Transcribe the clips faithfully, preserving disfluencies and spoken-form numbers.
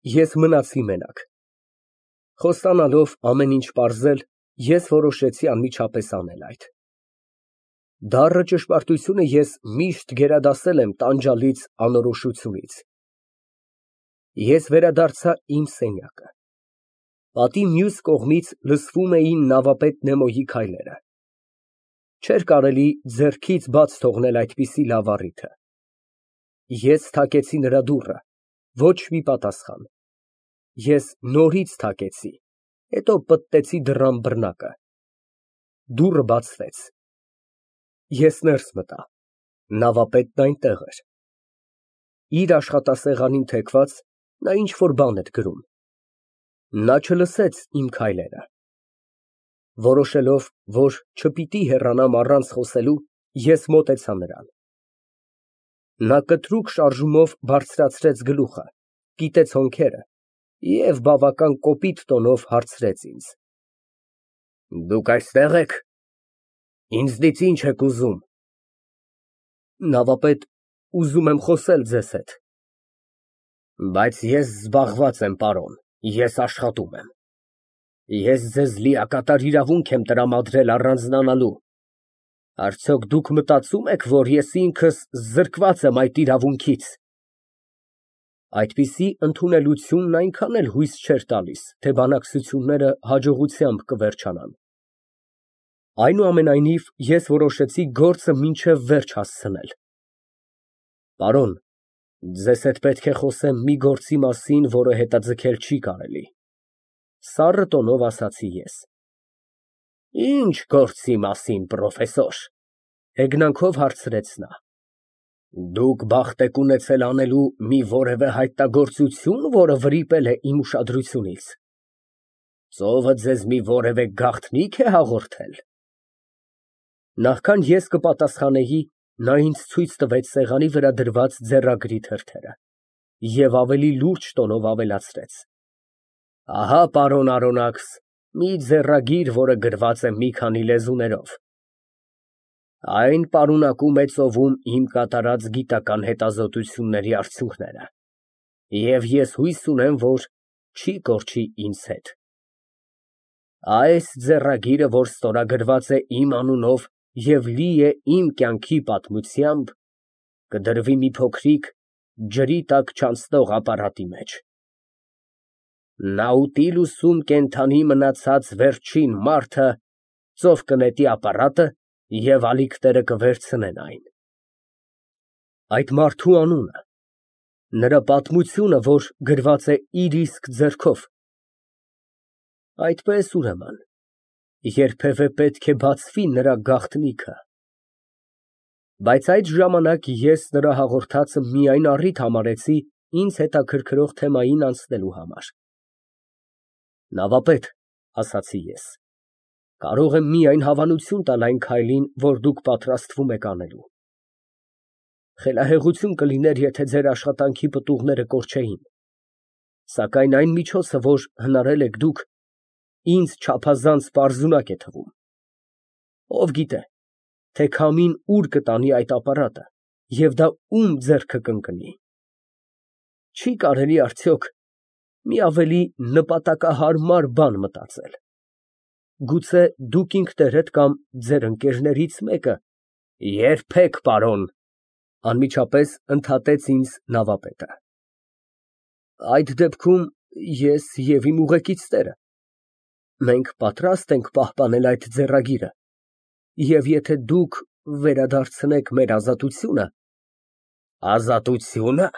Ես մնացի մենակ։ Խոստանալով ամեն ինչ պարզել, ես որոշեցի անմիջապես անել այդ։ Դառը ճշմարտությունը ես միշտ գերադասել եմ տանջալից անորոշությունից։ Ես վերադարձա իմ սենյակը։ Պատի մյուս կողմից լսվում էին նավապետ Նեմոյի քայլերը։ Չէր կարելի ձեռքից բաց թողնել այդպիսի լավ առիթը։ Ես թակեցի նրա դուռը, ոչ մի պատասխան։ Ես նորից թակեցի, հետո պտտեցի դռան բռնակը։ Դուռը բացվեց։ Ես ներս մտա, նավապետն այնտեղ էր։ Իր աշխատասեղանին թեքված, նա ինչ֊որ բան էր գրում։ Նա չլսեց իմ քայլերը։ Որոշելով, որ չպիտի հեռանամ առանց խոսելու, ես մոտեցա նրան։ Նա կտրուկ շարժումով բարձրացրեց գլուխը, կիտեց հոնքերը և բավական կոպիտ տոնով հարցրեց ինձ. Դուք այստեղ եք, ինձնից ի՞նչ եք ուզում։ Նավապետ, ուզում եմ խոսել ձեզ հետ։ Բայց ես զբաղված եմ, պարոն, ես աշխատում եմ։ Ես ձեզ լիակատար իրավունք եմ տրամադրել առանձնանալու։ Արդյոք դուք մտածում եք, որ ես ինքս զրկված եմ այդ իրավունքից։ Այդպիսի ընդունելությունն այնքան էլ հույս չէր տալիս, թե բանակցությունները հաջողությամբ կվերջանան։ Այնուամենայնիվ, ես որոշեցի գործը մինչև վերջ հասցնել։ Պարոն, ձեզ հետ պետք է խոսեմ մի գործի մասին, որը հետաձգել չի կարելի, սառը տոնով ասացի ես։ Ինչ գործի մասին, պրոֆեսոր, հեգնանքով հարցրեց նա։ Դուք բախտ եք ունեցել անելու մի որևէ հայտնագործություն, որը վրիպել է իմ ուշադրությունից։ Ծովը ձեզ մի որևէ գաղտնի՞ք է հաղորդել։ Նախքան ես կպատասխանեի, նա ինձ ցույց տվեց սեղանի վրա դրված ձեռագրի թերթերը և ավելի լուրջ տոնով ավելացրեց. Ահա, պարոն Արոնաքս, մի ձեռագիր, որը գրված է մի քանի լեզուներով։ Այն պարունակում է ծովում իմ կատարած գիտական հետազոտությունների արդյունքները, և ես հույս ունեմ, որ չի կորչի ինձ հետ։ Այս ձեռագիրը, որ ստորագրված է իմ անունով և լի է իմ կյանքի պատմությամբ, կդրվի մի փոքրիկ, ջրի տակ չանցնող ապարատի մեջ։ Նաուտիլուսում կենդանի մնացած վերջին մարդը ծով կնետի ապարատը և ալիքները կվերցնեն այն։ Այդ մարդու անունը, նրա պատմությունը, որ գրված է իր իսկ ձեռքով։ Այդպես, ուրեմն, երբևէ պետք է բացվի նրա գաղտնիքը։ Բայց այդ ժամանակ ես նրա հաղորդածը միայն առիթ համարեցի ինձ հետաքրքրող թեմային անցնելու համար։ Նավապետ, ասացի ես, կարող եմ միայն հավանություն տալ այն քայլին, որ դուք պատրաստվում եք անելու։ Խելահեղություն կլիներ, եթե ձեր աշխատանքի պտուղները կորչեին, սակայն այն միջոցը, որ հնարել եք դուք, ինձ չափազանց պարզունակ է թվում։ Ով գիտե, թե քամին ուր կտանի այդ ապարատը և դա ում ձեռքը կընկնի։ Չի կարելի արդյոք մի ավելի նպատակահարմար բան մտածել։ Գուցե դուք ինքներդ կամ ձեր ընկերներից մեկը։ Երբեք, պարոն, անմիջապես ընդհատեց ինձ նավապետը։ Այդ դեպքում ես և իմ ուղեկիցները մենք պատրաստ ենք պահպանել այդ ձեռագիրը, և եթե դուք վերադարձնեք մեր ազատությունը… Ազատությո՞ւնը,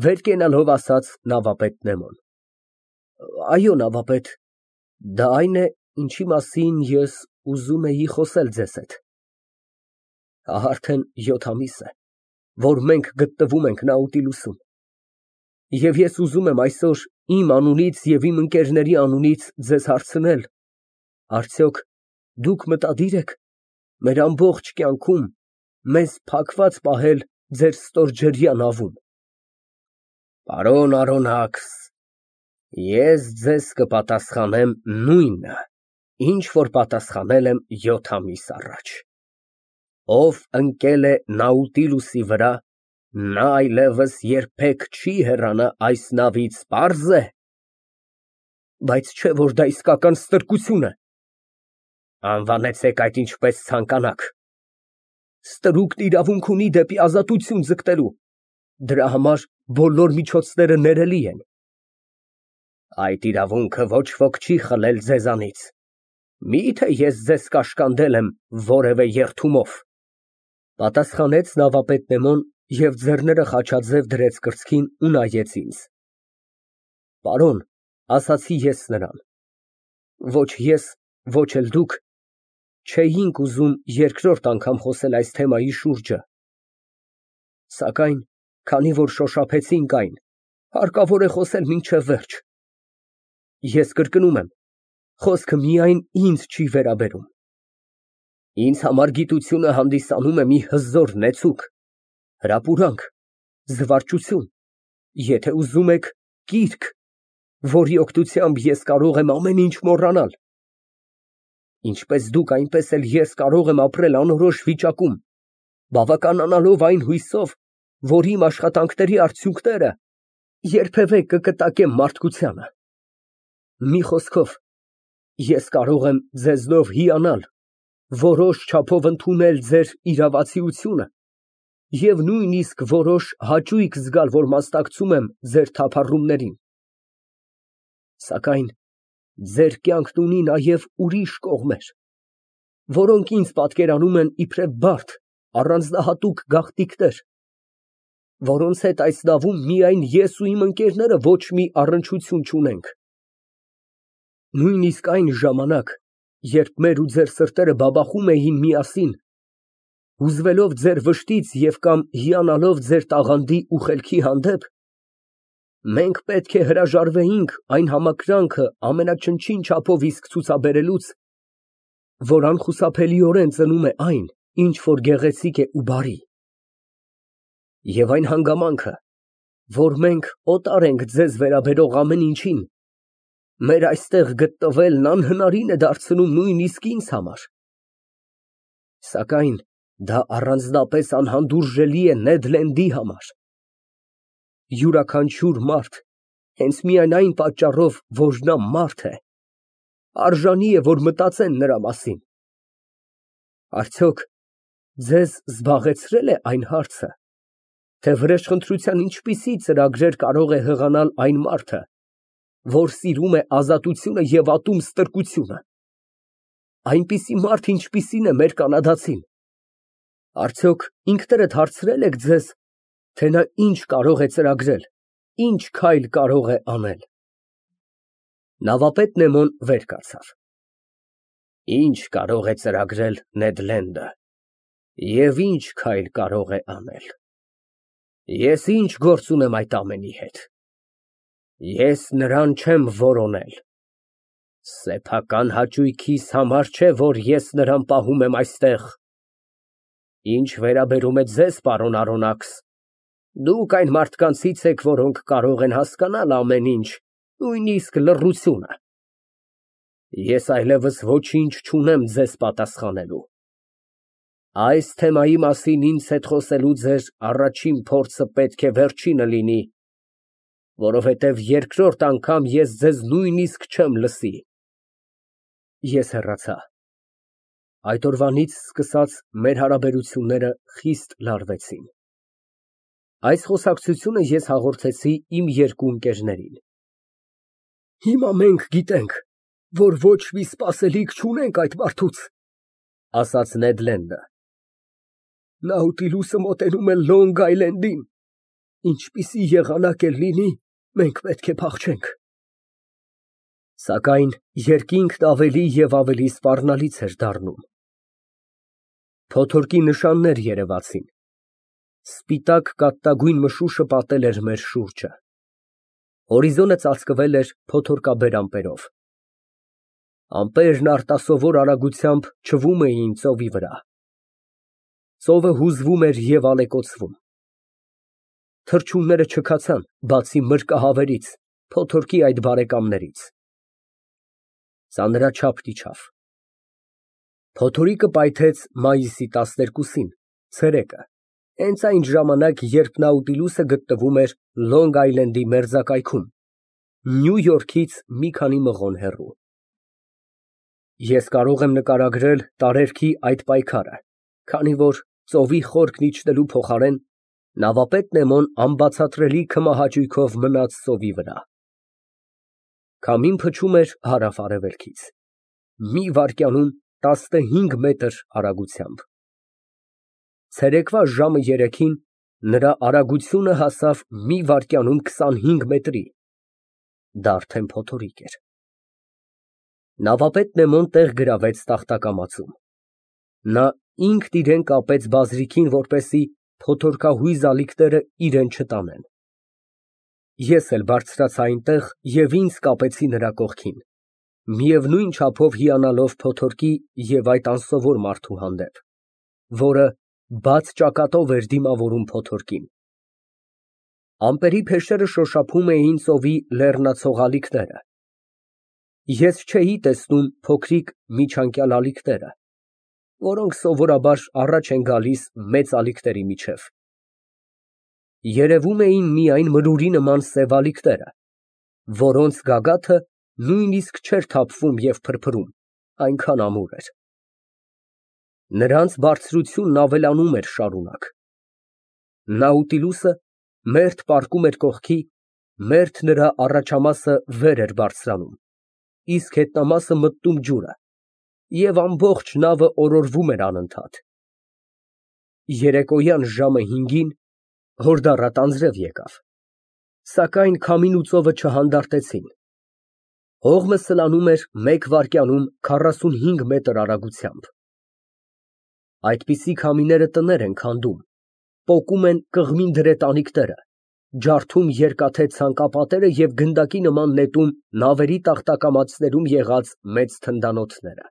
վեր կենալով ասաց նավապետ Նեմոն։ Այո, նավապետ, դա այն է, ինչի մասին ես ուզում էի խոսել ձեզ հետ։ Արդեն յոթ ամիս է, որ մենք գտնվում ենք Նաուտիլուսում, և ես ուզում եմ այսօր իմ անունից և իմ ընկերների անունից ձեզ հարցնել. արդյոք դուք մտադիր եք մեր ամբողջ կյանքում մեզ փակված պահել ձեր ստորջրյա նավում։ Պարոն Արոնաքս, ես ձեզ կպատասխանեմ նույնը, ինչ որ պատասխանել եմ յոթ ամիս առաջ։ Ով ընկել է Նաուտիլուսի վրա Նա այլևս երբեք չի հեռանա այս նավից, պարզ է։ Բայց չէ՞ որ դա իսկական ստրկություն է։ Անվանեցեք այդ ինչպես ցանկանաք։ Ստրուկն իրավունք ունի դեպի ազատություն ձգտելու, դրա համար բոլոր միջոցները ներելի են։ Այդ իրավունքը ոչ ոք չի խլել ձեզանից։ Մի՞թե ես ձեզ կաշկանդել եմ որևէ երդումով։ Պատասխանեց նավապետ Նեմոն և ձեռները խաչաձև դրեց կրծքին ու նայեց ինձ։ Պարոն, ասացի ես նրան, ոչ ես, ոչ էլ դուք չէինք ուզում երկրորդ անգամ խոսել այս թեմայի շուրջը։ Սակայն, քանի որ շոշափեցինք այն, հարկավոր է խոսել մինչև վերջ։ Ես կրկնում եմ, խոսքը միայն ինձ չի վերաբերում։ Ինձ համար գիտությունը հանդիսանում է մի հզոր նեցուկ, հրապուրանք, զվարճություն, եթե ուզում եք, կիրք, որի օգնությամբ ես կարող եմ ամեն ինչ մոռանալ։ Ինչպես դուք, այնպես էլ ես կարող եմ ապրել անորոշ վիճակում, բավականանալով այն հույսով, որ իմ աշխատանքների արդյունքները երբևէ կկտակեմ մարդկությանը։ Մի խոսքով, ես կարող եմ ձեզնով հիանալ, որոշ չափով ընդունել ձեր իրավացիությունը և նույնիսկ որոշ հաճույք զգալ, որ մասնակցում եմ ձեր թափառումներին։ Սակայն ձեր կյանքն ունի նաև ուրիշ կողմեր, որոնք ինձ պատկերանում են իբրև բարդ, առանձնահատուկ գաղտնիքներ, որոնց հետ այս նավում միայն ես ու իմ ընկերները ոչ մի առնչություն չունենք։ Նույնիսկ այն ժամանակ, երբ մեր ու ձեր սրտերը բաբախում էին միասին, հուզվելով ձեր վշտից և կամ հիանալով ձեր տաղանդի ու խելքի հանդեպ, մենք պետք է հրաժարվեինք այն համակրանքը ամենաչնչին չափով իսկ ցուցաբերելուց, որ անխուսափելիորեն ծնում է այն, ինչ որ գեղեցիկ է ու բարի։ Եվ այն հանգամանքը, որ մենք օտար ենք ձեզ վերաբերող ամեն ինչին, մեր այստեղ գտնվելն անհնարին է դարձնում նույնիսկ ինձ համար։ Սակայն դա առանձնապես անհանդուրժելի է Նեդ Լենդի համար։ Յուրաքանչյուր մարդ, հենց միայն այն պատճառով, որ նա մարդ է, արժանի է, որ մտածեն նրա մասին։ Արդյոք ձեզ զբաղեցրե՞լ է այն հարցը, թե վրեժխնդրության ինչպիսի ծրագրեր կարող է հղանալ այն մարդը, որ սիրում է ազատությունը և ատում ստրկությունը։ Այնպիսի մարդ, ինչպիսին է մեր կանադացին։ Արդյոք ինքներդ հարցրե՞լ եք ձեզ, թե նա ինչ կարող է ծրագրել, ինչ քայլ կարող է անել։ Նավապետ Նեմոն վեր կացավ։ Ինչ կարող է ծրագրել Նեդ Լենդը և ինչ քայլ կարող է անել։ Ես ինչ գործ ունեմ այդ ամենի հետ։ Ես նրան չեմ որոնել։ Սեփական հաճույքիս համար չէ, որ ես նրան պահում եմ այստեղ։ Ինչ վերաբերում է ձեզ, պարոն Արոնաքս, դուք այն մարդկանցից եք, որոնք կարող են հասկանալ ամեն ինչ, նույնիսկ լռությունը։ Ես այլևս ոչինչ չունեմ ձեզ պատասխանելու։ Այս թեմայի մասին ինձ հետ խոսելու ձեր առաջին փորձը պետք է վերջինը լինի, որովհետև երկրորդ անգամ ես ձեզ նույնիսկ չեմ լսի։ Ես հեռացա։ Այդ օրվանից սկսած մեր հարաբերությունները խիստ լարվեցին։ Այս խոսակցությունը ես հաղորդեցի իմ երկու ընկերներին։ Հիմա մենք գիտենք, որ ոչ մի սպասելիք չունենք այդ մարդուց, ասաց Նեդ Լենդը։ Նաուտիլուսը մոտենում է Լոնգ Այլենդին, ինչպիսի եղանակ էլ լինի, մենք պետք է փախչենք։ Սակայն երկինքն ավելի և ավելի սպառնալից էր դառնում։ Փոթորկի նշաններ երևացին։ Սպիտակ կաթնագույն մշուշը պատել էր մեր շուրջը։ Հորիզոնը ծածկվել էր փոթորկաբեր ամպերով։ Ամպերն արտասովոր արագությամբ չվում էին ծովի վրա։ Ծովը հուզվում էր և ալեկոծվում։ Թռչունները չքացան, բացի մրրկահավերից, փոթորկի այդ բարեկամներից։ Ծանրաչափ իջավ։ Փոթորիկը պայթեց մայիսի տասներկուսին, ցերեկը։ Հենց այն ժամանակ, երբ Նաուտիլուսը գտնվում էր Լոնգ Այլենդի մերձակայքում, Նյու Յորքից մի քանի մղոն հեռու։ Ես կարող եմ նկարագրել տարերքի այդ պայքարը, քանի որ ծովի խորքն իջնելու փոխարեն նավապետ Նեմոն անբացատրելի քմահաճույքով մնաց ծովի վրա։ Քամին փչում էր հարավ֊արևելքից, մի վայրկյանում տասնհինգ մետր արագությամբ։ Ցերեկվա ժամը երեքին նրա արագությունը հասավ մի վայրկյանում քսանհինգ մետրի, դա արդեն փոթորիկ էր։ Նավապետ Նեմոն տեղ գրավեց տախտակամածում։ Նա ինքն իրեն կապեց բազրիքին, որպեսզի փոթորկահույզ ալիքները իրեն չտանեն։ Ես էլ բարձրացա այնտեղ և ինձ կապեցի նրա կողքին, միևնույն չափով հիանալով փոթորկի և այդ անսովոր մարդու հանդեպ, որը բաց ճակատով էր դիմավորում փոթորկին։ Ամպերի փեշերը շոշափում էին ծովի լեռնացող ալիքները։ Ես չէի տեսնում փոքրիկ միջանկյալ ալիքները, որոնք սովորաբար առաջ են գալիս մեծ ալիքների միջև։ Երևում էին միայն մրուրի նման սև ալիքները, որոնց գագաթը նույնիսկ չէր թափվում և փրփրում, այնքան ամուր էր։ Նրանց բարձրությունն ավելանում էր շարունակ։ Նաուտիլուսը մերթ պառկում էր կողքի, մերթ նրա առաջամասը վեր էր բարձրանում, իսկ հետնամասը մտնում ջուրը, և ամբողջ նավը օրորվում էր անընդհատ։ Երեկոյան ժամը հինգին հորդառատ անձրև եկավ, սակայն քամին ու ծովը չհանդարտեցին։ Հողմը սլանում էր մեկ վայրկյանում քառասունհինգ մետր արագությամբ։ Այդպիսի քամիները տներ են քանդում, պոկում են կղմին դրետանիքները, ջարդում երկաթե ցանկապատերը և գնդակի նման նետում նավերի տախտակամածներում եղած մեծ թնդանոթները։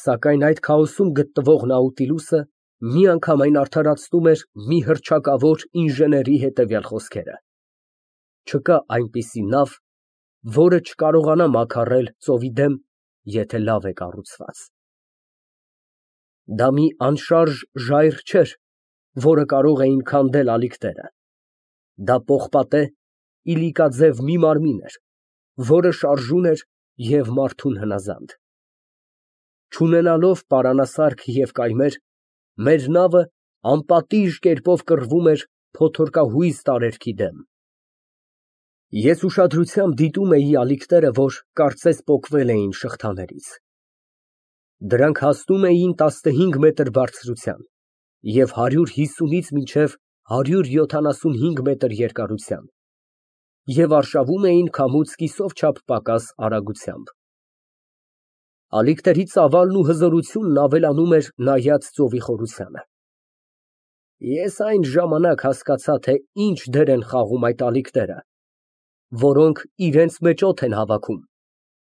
Սակայն այդ քաոսում գտնվող Նաուտիլուսը միանգամայն արդարացնում էր մի հռչակավոր ինժեների հետևյալ խոսքերը. չկա այնպիսի նավ, որը չկարողանա մաքարել ծովի դեմ, եթե լավ է կառուցված։ Դա մի անշարժ ժայռ չէր, որը կարող էին քանդել ալիքները։ Դա պողպատե, իլիկաձև մի մարմին էր, որը շարժուն էր և մարդուն հնազանդ։ Չունենալով պարանասարք և կայմեր, մեր նավը անպատիժ կերպով կռվում էր փոթորկահույզ տարերքի դեմ։ Ես ուշադրությամբ դիտում էի ալիքները, որ կարծես պոկվել էին շղթաներից։ Դրանք հասնում էին տասնհինգ մետր բարձրության և հարյուր հիսունից մինչև հարյուր յոթանասունհինգ մետր երկարության և արշավում էին քամուց կիսով չափ պակաս արագությամբ։ Ալիքների ծավալն ու հզորությունն ավելանում էր նայած ծովի խորությանը։ Ես այն ժամանակ հասկացա, թե ինչ դեր են խաղում այդ ալիքները, որոնք իրենց մեջ օդ են հավաքում,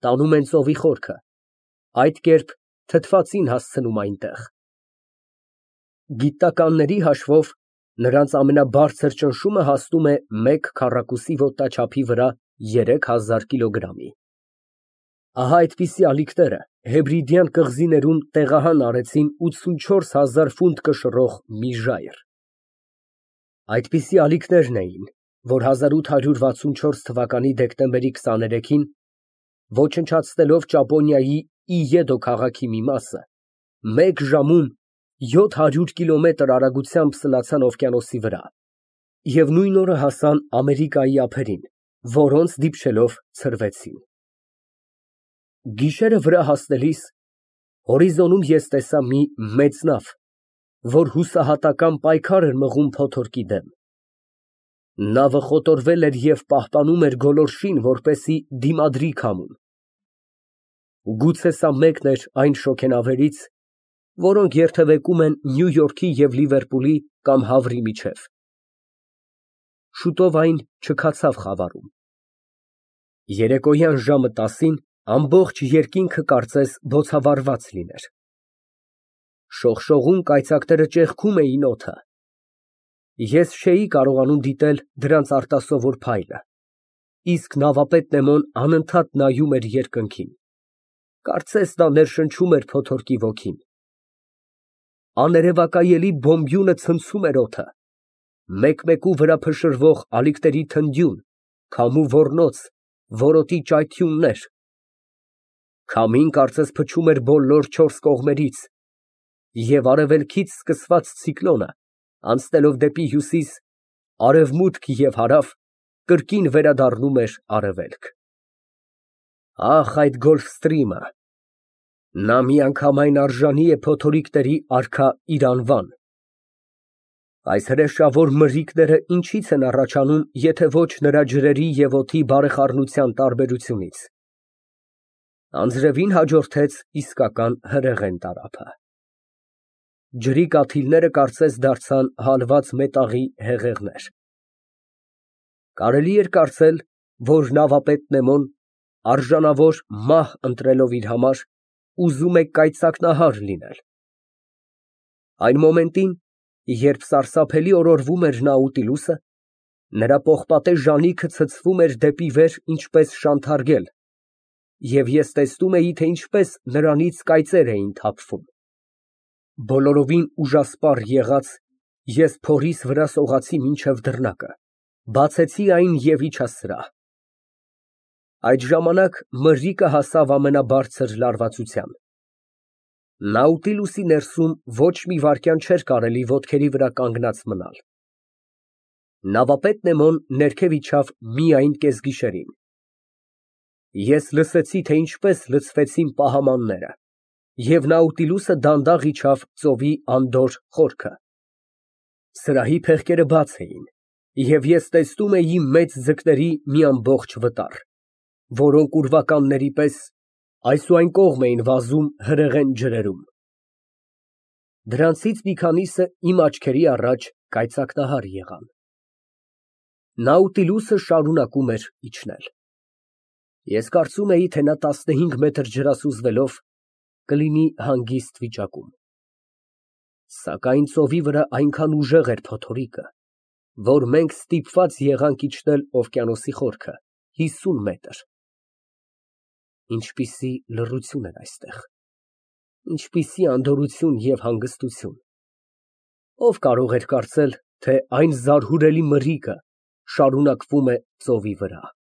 տանում են ծովի խորքը, այդ կերպ թթվածին հասցնում այնտեղ։ Գիտնականների հաշվով նրանց ամենաբարձր ճնշումը հասնում է մեկ քառակուսի ոտնաչափի վրա երեք հազար կիլոգրամի։ Ահա այդպիսի ալիքները Հեբրիդյան կղզիներում տեղահան արեցին ութսունչորս հազար ֆունտ կշռող մի ժայռ։ Այդպիսի ալիքներն էին, որ հազար ութ հարյուր վաթսունչորս թվականի դեկտեմբերի քսաներեքին, ոչնչացնելով Ճապոնիայի Իեդո քաղաքի մի մասը, մեկ ժամում յոթ հարյուր կիլոմետր արագությամբ սլացան օվկիանոսի վրա և նույն օրը հասան Ամերիկայի ափերին, որոնց դիպչելով ցրվեցին։ Գիշերը վրա հասնելիս հորիզոնում ես տեսա մի մեծ նավ, որ հուսահատական պայքար էր մղում փոթորկի դեմ։ Նավը խոտորվել էր և պահպանում էր գոլորշին, որպեսզի դիմադրի քամուն։ Գուցե սա մեկն էր այն շոգենավերից, որոնք երթևեկում են Նյու Յորքի և Լիվերպուլի կամ Հավրի միջև։ Շուտով այն չքացավ խավարում։ Երեկոյան ժամը տասին ամբողջ երկինքը կարծես բոցավառված լիներ։ Շողշողուն կայծակները ճեղքում էին օդը։ Ես չէի կարողանում դիտել դրանց արտասովոր փայլը, իսկ նավապետ Նեմոն անընդհատ նայում էր երկնքին, կարծես նա ներշնչում էր փոթորկի ոգին։ Աներևակայելի բոմբյունը ցնցում էր օդը, մեկ֊մեկու վրա փշրվող ալիքների թնդյուն, քամու ոռնոց, որոտի ճայթյուններ, քամին կարծես փչում էր բոլոր չորս կողմերից, և արևելքից սկսված ցիկլոնը, անցնելով դեպի հյուսիս, արևմուտք և հարավ, կրկին վերադառնում էր արևելք։ Ահ, այդ Գոլֆստրիմը, նա միանգամայն արժանի է փոթորիկների արքա իր անվան։ Այս հրեշավոր մրրիկները ինչի՞ց են առաջանում, եթե ոչ նրա ջրերի և օդի բարեխառնության տարբերությունից։ Անձրևին հաջորդեց իսկական հրեղեն տարափը։ Ջրի կաթիլները կարծես դարձան հալված մետաղի հեղեղներ։ Կարելի էր կարծել, որ նավապետ Նեմոն, արժանավոր մահ ընտրելով իր համար, ուզում է կայծակնահար լինել։ Այն մոմենտին, երբ սարսափելի օրորվում էր Նաուտիլուսը, նրա պողպատե ժանիքը ցցվում էր դեպի վեր ինչպես շանթարգել, և ես տեսնում էի, թե ինչպես նրանից կայծեր էին թափվում։ Բոլորովին ուժասպառ եղած, ես փորիս վրա սողացի մինչև դռնակը, բացեցի այն և իջա սրահ։ Այդ ժամանակ մրրիկը հասավ ամենաբարձր լարվածության։ Նաուտիլուսի ներսում ոչ մի վայրկյան չէր կարելի ոտքերի վրա կանգնած մնալ։ Նավապետ Նեմոն ներքև իջավ միայն կեսգիշերին։ Ես լսեցի, թե ինչպես լցվեցին պահամանները, և Նաուտիլուսը դանդաղ իջավ ծովի անդորր խորքը։ Սրահի փեղկերը բաց էին, և ես տեսնում էի մեծ ձկների մի ամբողջ վտար, որոնք ուրվականների պես այս ու այն կողմ էին վազում հրեղեն ջրերում։ Դրանցից մի քանիսը իմ աչքերի առաջ կայծակնահար եղան։ Նաուտիլուսը շարունակում էր իջնել։ Ես կարծում էի, թե նա տասնհինգ մետր ջրասուզվելով կլինի հանգիստ վիճակում։ Սակայն ծովի վրա այնքան ուժեղ էր փոթորիկը, որ մենք ստիպված եղանք իջնել օվկիանոսի խորքը, հիսուն մետր։ Ինչպիսի լռություն էր այստեղ, ինչպիսի անդորրություն և հանգստություն։ Ո՞վ կարող էր կարծել, թե այն զարհուրելի մրրիկը շարունակվում է ծովի վրա։